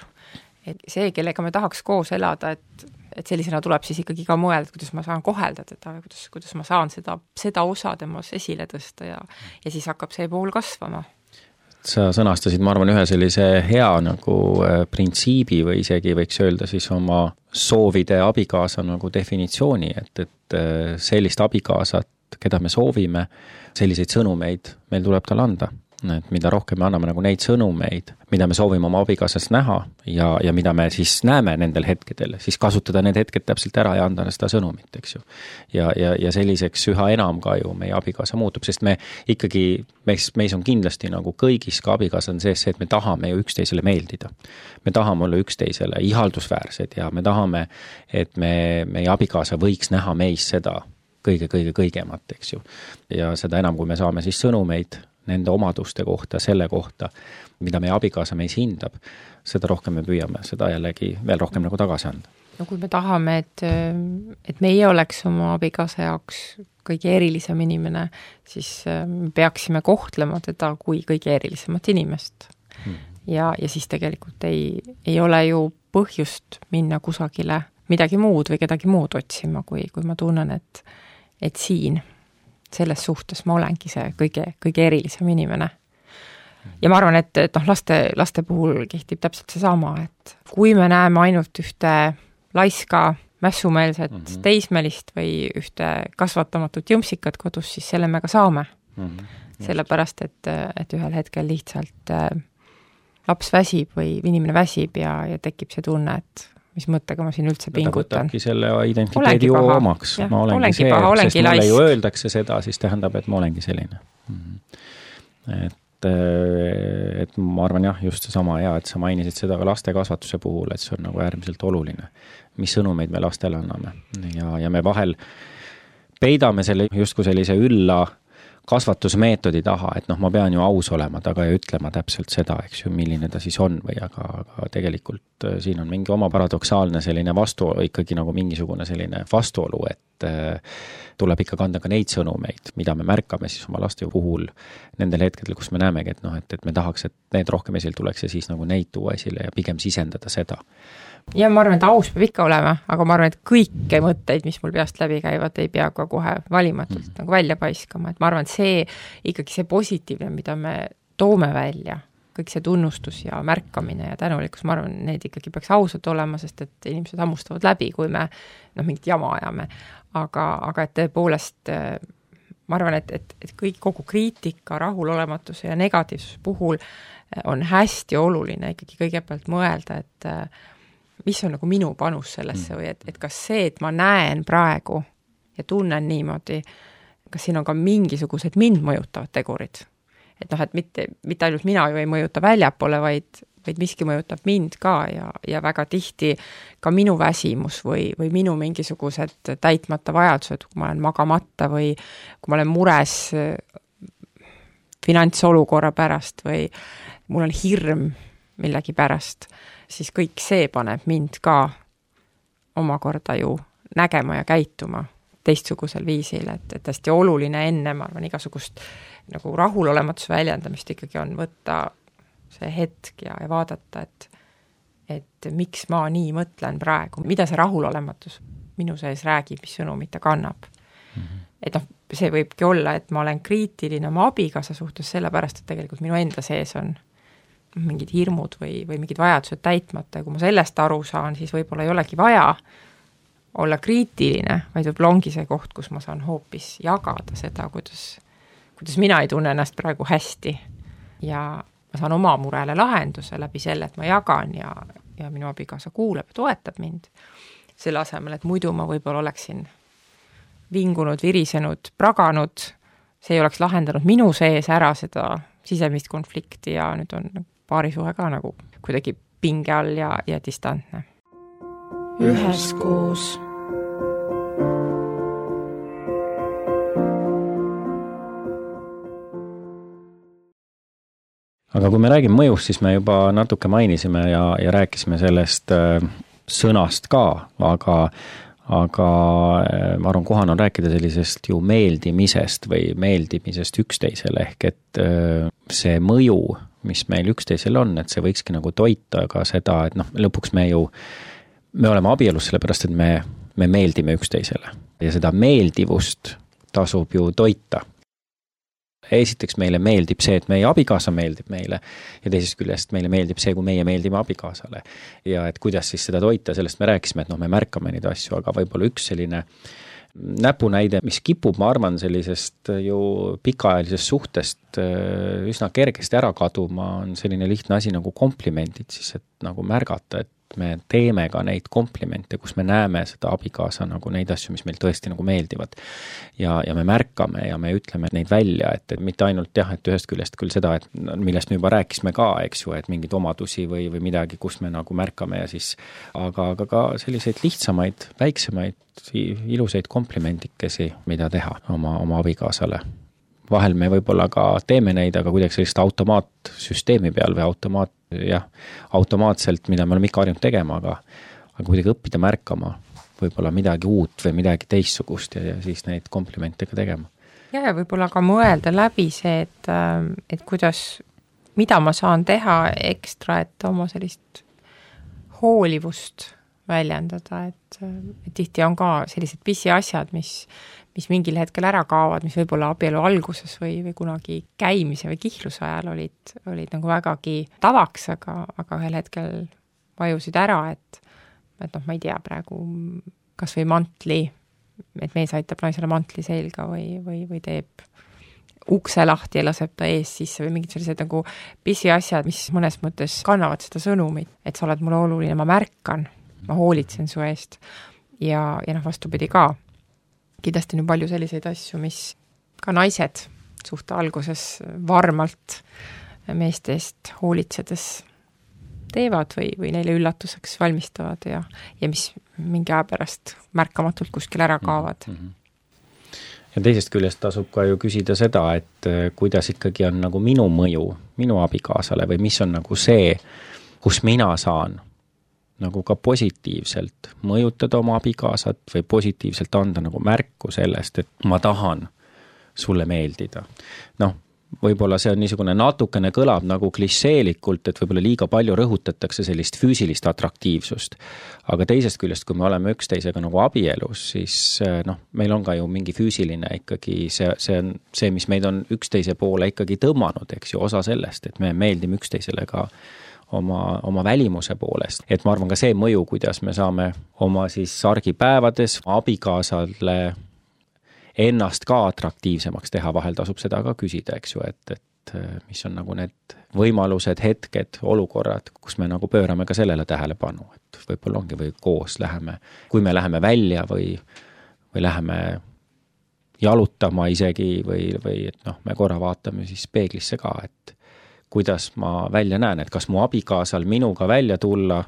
Et see, kellega me tahaks koos elada, et sellisena tuleb siis ikkagi ka mõelda, kuidas ma saan kohelda teda ja kuidas ma saan seda osa temas esile tõsta ja siis hakkab see pool kasvama. Sa sõnastasid, ma arvan, ühe sellise hea nagu printsiibi või isegi võiks öelda siis oma soovide abikaasa nagu definitsiooni, et sellist abikaasat, keda me soovime, selliseid sõnumeid meil tuleb tal anda. Et mida rohkem me anname nagu neid sõnumeid, mida me soovime oma abikaasast näha ja mida me siis näeme nendel hetkedel, siis kasutada need hetked täpselt ära ja anda seda sõnumit, eks ju. Ja selliseks üha enam ka ju meie abikaasa muutub, sest me ikkagi, meis on kindlasti nagu kõigis ka abikaasad sees see, et me tahame ju üksteisele meeldida. Me tahame olla üksteisele ihaldusväärsed ja me tahame, et meie abikaasa võiks näha meis seda kõigemat, eks ju. Ja seda enam, kui me saame siis sõnumeid nende omaduste kohta, selle kohta, mida meie abikaasa meis hindab, seda rohkem me püüame, seda jällegi veel rohkem nagu tagasi anda. No kui me tahame, et meie oleks oma abikaasa jaoks kõige erilisem inimene, siis peaksime kohtlema teda kui kõige erilisemat inimest. ja siis tegelikult ei ole ju põhjust minna kusagile midagi muud või kedagi muud otsima, kui ma tunnen, et siin selles suhtes ma olengi see kõige erilisem inimene. Ja ma arvan, et laste puhul kehtib täpselt seesama, et kui me näeme ainult ühte laiska, mässumeelset teismelist või ühte kasvatamatut jõmsikat kodus, siis selle me ka saame. Sellepärast, et ühel hetkel lihtsalt laps väsib või inimene väsib ja tekib see tunne, et mis mõttega ma siin üldse pingutan. Ta võtabki selle identiteedi ju omaks. Ma olengi see, sest mulle ju öeldakse seda, siis tähendab, et ma olengi selline. Et ma arvan jah, just seesama hea, et sa mainisid seda ka laste kasvatuse puhul, et see on nagu äärmiselt oluline, mis sõnumeid me lastele anname. Ja me vahel peidame selle justkui sellise ülla kasvatusmeetodi taha, et ma pean ju aus olema taga ja ütlema täpselt seda, eks ju, milline ta siis on või aga tegelikult siin on mingi oma paradoksaalne selline ikkagi nagu mingisugune selline vastuolu, et tuleb ikka kanda ka neid sõnumeid, mida me märkame siis oma laste puhul nendel hetkedel, kus me näemegi, et me tahaks, et need rohkem esile tuleks ja siis nagu neid tuua esile ja pigem sisendada seda. Ja ma arvan, et aus peab ikka olema, aga ma arvan, et kõiki mõtteid, mis mul peast läbi käivad, ei pea ka kohe valimatult nagu välja paiskama, et ma arvan, et see ikkagi see positiivne, mida me toome välja, kõik see tunnustus ja märkamine ja tänulikkus, ma arvan, need ikkagi peaks ausalt olema, sest et inimesed hammustavad läbi, kui me mingit jama ajame, aga et tõepoolest ma arvan, et kogu kriitika, rahulolematuse ja negatiivsuse puhul on hästi oluline ikkagi kõigepealt mõelda, et mis on nagu minu panus sellesse või et kas see, et ma näen praegu ja tunnen niimoodi, kas siin on ka mingisugused mind mõjutavad tegurid. Et et mitte ainult mina ju ei mõjuta väljapoole, vaid miski mõjutab mind ka ja väga tihti ka minu väsimus või minu mingisugused täitmata vajadused, kui ma olen magamata või kui ma olen mures finantsolukorra pärast või mul on hirm millegi pärast, siis kõik see paneb mind ka omakorda ju nägema ja käituma teistsugusel viisil, et hästi oluline enne, ma arvan, igasugust nagu rahulolematuse väljendamist ikkagi on võtta see hetk ja vaadata, et miks ma nii mõtlen praegu, mida see rahulolematus minu sees räägib, mis sõnumit ta kannab. Et see võibki olla, et ma olen kriitiline oma abikaasa suhtes sellepärast, et tegelikult minu enda sees on mingid hirmud või mingid vajadused täitmata ja kui ma sellest aru saan, siis võib-olla ei olegi vaja olla kriitiline, vaid võib-olla ongi see koht, kus ma saan hoopis jagada seda, kuidas mina ei tunne ennast praegu hästi ja ma saan oma murele lahenduse läbi selle, et ma jagan ja minu abikaasa kuuleb ja toetab mind selle asemel, et muidu ma võib-olla oleksin vingunud, virisenud, praganud, see ei oleks lahendanud minu sees ära seda sisemist konflikti ja nüüd on paarisuhe ka nagu kuidagi pinge all ja distantne. Üheskoos. Aga kui me räägime mõjust, siis me juba natuke mainisime ja rääkisime sellest sõnast ka, aga ma arvan, kohane on rääkida sellisest ju meeldimisest või meeldimisest üksteisele ehk et see mõju, mis meil üksteisel on, et see võikski nagu toita ka seda, et lõpuks me oleme abielus sellepärast, et me meeldime üksteisele ja seda meeldivust tasub ju toita. Esiteks meile meeldib see, et meie abikaasa meeldib meile ja teisest küljest meile meeldib see, kui meie meeldime abikaasale ja et kuidas siis seda toita, sellest me rääkisime, et me märkame neid asju, aga võib-olla üks selline näpunäide, mis kipub, ma arvan, sellisest ju pikaajalisest suhtest üsna kergesti ära kaduma, on selline lihtne asi nagu komplimendid, siis et nagu märgata, et me teeme ka neid komplimente, kus me näeme seda abikaasa nagu neid asju, mis meil tõesti nagu meeldivad. Ja me märkame ja me ütleme neid välja, et mitte ainult et ühest küljest küll seda, et millest me juba rääkisime ka, eks ju, et mingeid omadusi või midagi, kus me nagu märkame ja siis, aga ka selliseid lihtsamaid, väiksemaid, ilusaid komplimendikesi, mida teha oma abikaasale. Vahel me võib-olla ka teeme neid, aga kuidagi sellist automaatsüsteemi peal või automaatselt, mida me oleme ikka harjunud tegema, aga kuidagi õppida märkama võib-olla midagi uut või midagi teistsugust ja siis neid komplimente ka tegema. Ja võib-olla ka mõelda läbi see, et kuidas mida ma saan teha ekstra, et oma sellist hoolivust väljendada, et tihti on ka sellised pisiasjad, mis mingil hetkel ära kaovad, mis võib-olla abielu alguses või kunagi käimise või kihluse ajal olid nagu vägagi tavaks, aga ühel hetkel vajusid ära, et ma ei tea praegu, kas või mantli, et mees aitab naisele mantli selga või teeb ukse lahti ja laseb ta ees sisse või mingid sellised nagu pisiasjad, mis mõnes mõttes kannavad seda sõnumit, et sa oled mulle oluline, ma märkan, ma hoolitsen su eest ja vastupidi ka. Kindlasti on palju selliseid asju, mis ka naised suhte alguses varmalt meeste eest hoolitsedes teevad või neile üllatuseks valmistavad ja mis mingi aja pärast märkamatult kuskil ära kaovad. Ja teisest küljest tasub ka ju küsida seda, et kuidas ikkagi on nagu minu mõju, minu abikaasale või mis on nagu see, kus mina saan nagu ka positiivselt mõjutada oma abikaasat või positiivselt anda nagu märku sellest, et ma tahan sulle meeldida. Võib-olla see on niisugune natukene kõlab nagu klišeelikult, et võib-olla liiga palju rõhutatakse sellist füüsilist atraktiivsust. Aga teisest küljest, kui me oleme üksteisega nagu abielus, siis meil on ka ju mingi füüsiline ikkagi, see on see, mis meid on üksteise poole ikkagi tõmmanud, eks ju, osa sellest, et me meeldime üksteisele ka oma välimuse poolest. Et ma arvan ka see mõju, kuidas me saame oma siis argipäevades abikaasale ennast ka atraktiivsemaks teha, vahel tasub seda ka küsida, eks ju, et mis on nagu need võimalused, hetked, olukorrad, kus me nagu pöörame ka sellele tähelepanu, et võib-olla ongi või koos läheme, kui me läheme välja või läheme jalutama isegi või et me korra vaatame siis peeglisse ka, et kuidas ma välja näen, et kas mu abikaasal minuga välja tulla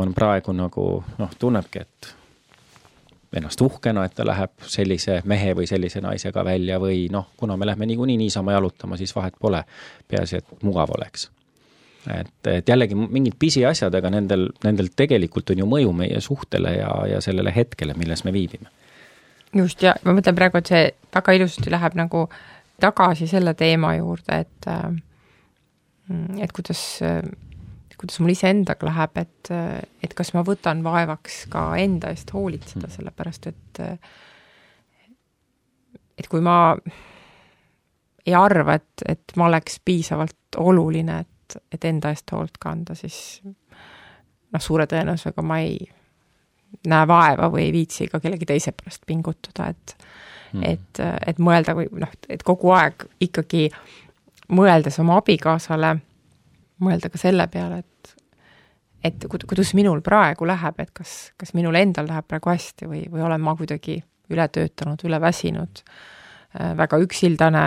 on praegu nagu, tunnebki, et ennast uhkena, et ta läheb sellise mehe või sellise naisega välja või kuna me lähme niikuinii niisama jalutama, siis vahet pole, peaasi, et mugav oleks. Et jällegi mingid pisiasjad, aga nendel tegelikult on ju mõju meie suhtele ja sellele hetkele, milles me viibime. Just, ja ma mõtlen praegu, et see väga ilusasti läheb nagu tagasi selle teema juurde, et kuidas mul ise endaga läheb, et kas ma võtan vaevaks ka enda eest hoolitseda, sellepärast, et kui ma ei arva, et ma oleks piisavalt oluline, et enda eest hoolt kanda, siis suure tõenäosusega ma ei näe vaeva või ei viitsi ka kellegi teise pärast pingutada, et mõelda või et kogu aeg ikkagi mõeldes oma abikaasale, mõelda ka selle peale, et kuidas minul praegu läheb, et kas minul endal läheb praegu hästi või olen ma kuidagi üle töötanud, üle väsinud, väga üksildane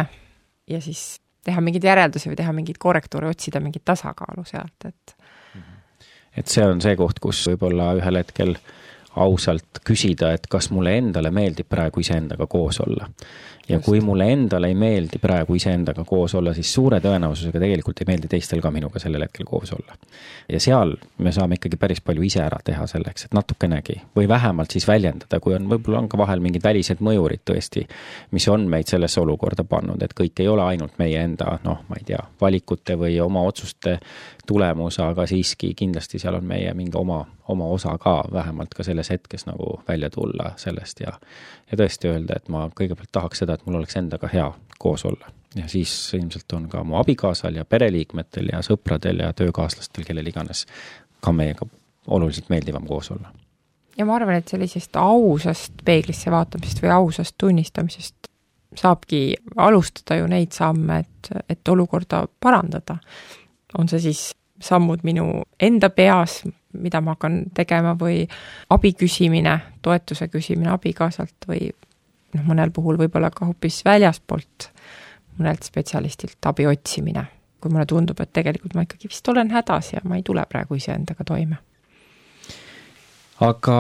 ja siis teha mingeid järeldusi või teha mingeid korrektuure, otsida mingit tasakaalu sealt. Et see on see koht, kus võib-olla ühel hetkel ausalt küsida, et kas mulle endale meeldib praegu iseendaga koos olla. Ja kui mulle endale ei meeldi praegu iseendaga koos olla, siis suure tõenäosusega tegelikult ei meeldi teistel ka minuga sellel hetkel koos olla. Ja seal me saame ikkagi päris palju ise ära teha selleks, et natukenegi või vähemalt siis väljendada, kui võib-olla on ka vahel mingid välised mõjurid tõesti, mis on meid sellesse olukorda pannud, et kõik ei ole ainult meie enda, ma ei tea, valikute või oma otsuste tulemus, aga siiski kindlasti seal on meie mingi oma osa ka, vähemalt ka selles hetkes nagu välja tulla sellest ja tõesti öelda, et ma kõigepealt tahaks seda, et mul oleks endaga hea koos olla. Ja siis ilmselt on ka mu abikaasal ja pereliikmetel ja sõpradel ja töökaaslastel, kellel iganes ka meiega oluliselt meeldivam koos olla. Ja ma arvan, et sellisest ausast peeglisse vaatamisest või ausast tunnistamisest saabki alustada ju neid samme, et olukorda parandada. On see siis sammud minu enda peas, mida ma hakkan tegema või abi küsimine, toetuse küsimine abikaasalt või mõnel puhul võib-olla ka hoopis väljaspoolt mõnelt spetsialistilt abi otsimine, kui mulle tundub, et tegelikult ma ikkagi vist olen hädas ja ma ei tule praegu iseendaga toime. Aga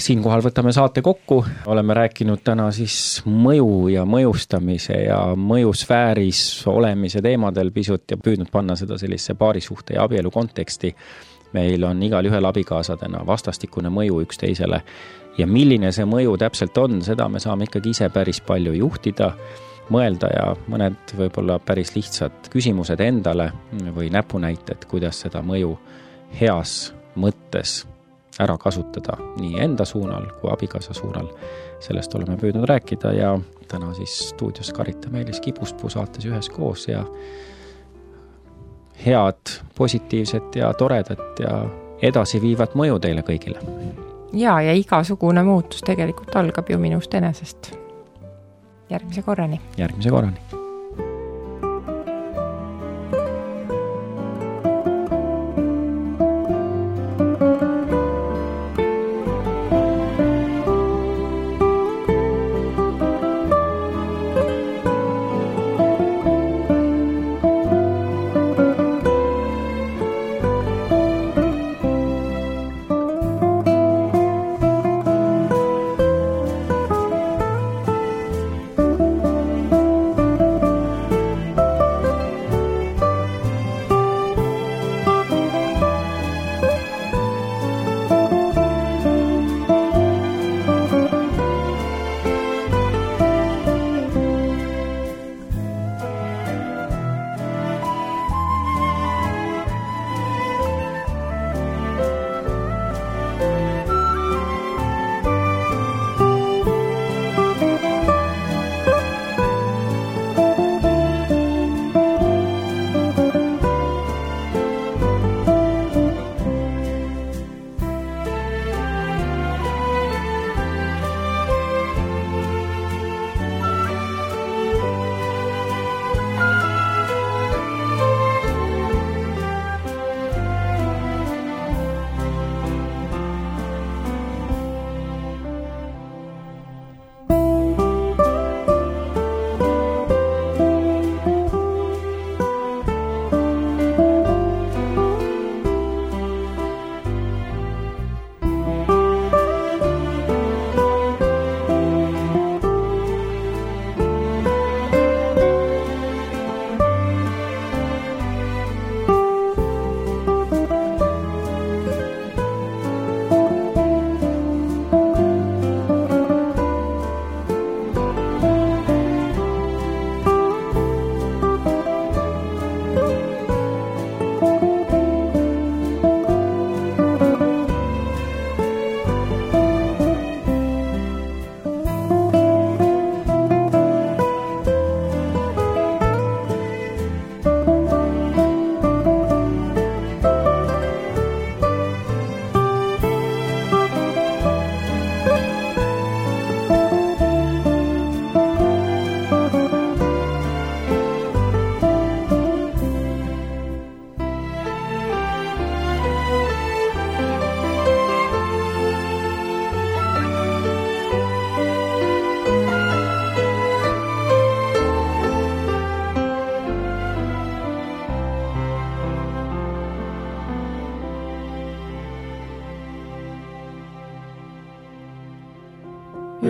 siinkohal võtame saate kokku, oleme rääkinud täna siis mõju ja mõjustamise ja mõjusfääris olemise teemadel pisut ja püüdnud panna seda sellise paarisuhte ja abielu konteksti. Meil on igal ühel abikaasadena vastastikune mõju üksteisele ja milline see mõju täpselt on, seda me saame ikkagi ise päris palju juhtida mõelda ja mõned võib-olla päris lihtsad küsimused endale või näpunäited, kuidas seda mõju heas mõttes ära kasutada nii enda suunal kui abikaasa suunal. Sellest oleme püüdnud rääkida ja täna siis stuudios Karita Meelis Kipuspuu saates üheskoos ja head, positiivset ja toredat ja edasiviivat mõju teile kõigile. Ja igasugune muutus tegelikult algab ju minust enesest. Järgmise korrani. Järgmise korrani.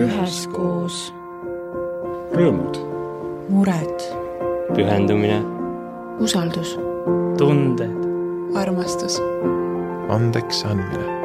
Üheskoos. Rõõmud. Mured. Pühendumine. Usaldus. Tunded. Armastus. Andeks andmine.